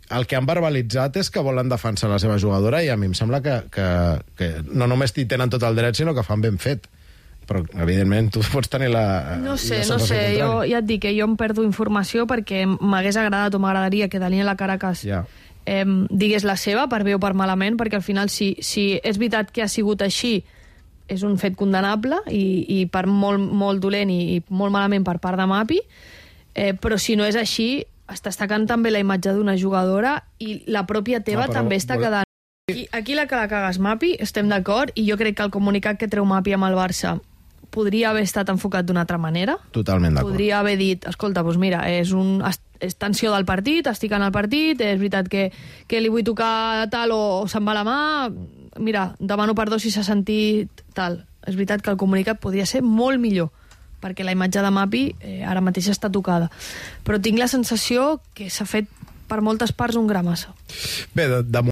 el que han verbalitzat és que volen defensar la seva jugadora i a mi em sembla que no només hi tenen tot el dret, sinó que fan ben fet. Però, evidentment, tu pots tenir la... No sé, jo ja et dic que jo em perdo informació perquè m'hagués agradat o m'agradaria que Daniela Caracas digués la seva, per bé o per malament, perquè al final, si és veritat que ha sigut així, és un fet condemnable i per molt dolent i molt malament per part de Mapi, però si no és així, està destacant també la imatge d'una jugadora i la pròpia teva també està quedant. Aquí la que la cagues, Mapi, estem d'acord, i jo crec que el comunicat que treu Mapi amb el Barça podria haver estat enfocat d'una altra manera. Totalment d'acord. Podria haver dit, escolta, doncs mira, és tensió del partit, estic en el partit, és veritat que li vull tocar tal o se'n va la mà, mira, demano perdó si s'ha sentit tal. És veritat que el comunicat podria ser molt millor, perquè la imatge de Mapi ara mateix està tocada. Però tinc la sensació que s'ha fet per moltes parts un gra massa. Bé, de